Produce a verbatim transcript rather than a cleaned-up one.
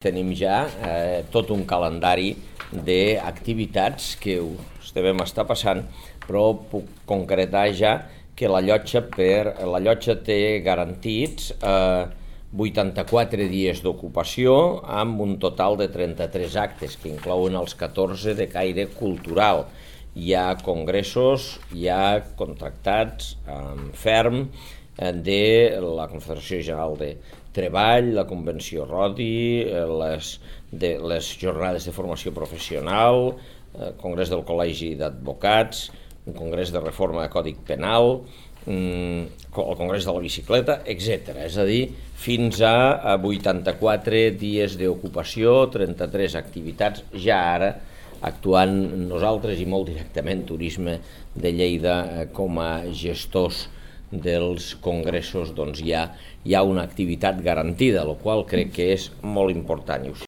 Tenim ja eh, tot un calendari d'activitats que us devem estar passant, però puc concretar ja que la llotja, per, la llotja té garantits eh, vuitanta-quatre dies d'ocupació amb un total de trenta-tres actes que inclouen els catorze de caire cultural. Hi ha congressos, hi ha contractats amb ferm de la Confederació General de Treball, la Convenció Rodi, les, de, les jornades de formació professional, el Congrés del Col·legi d'Advocats, un Congrés de Reforma de Codi Penal, el Congrés de la Bicicleta, etcètera. És a dir, fins a vuitanta-quatre dies d'ocupació, trenta-tres activitats, ja ara actuant nosaltres i molt directament Turisme de Lleida com a gestors dels congressos, doncs hi ha, hi ha una activitat garantida, la qual crec que és molt important.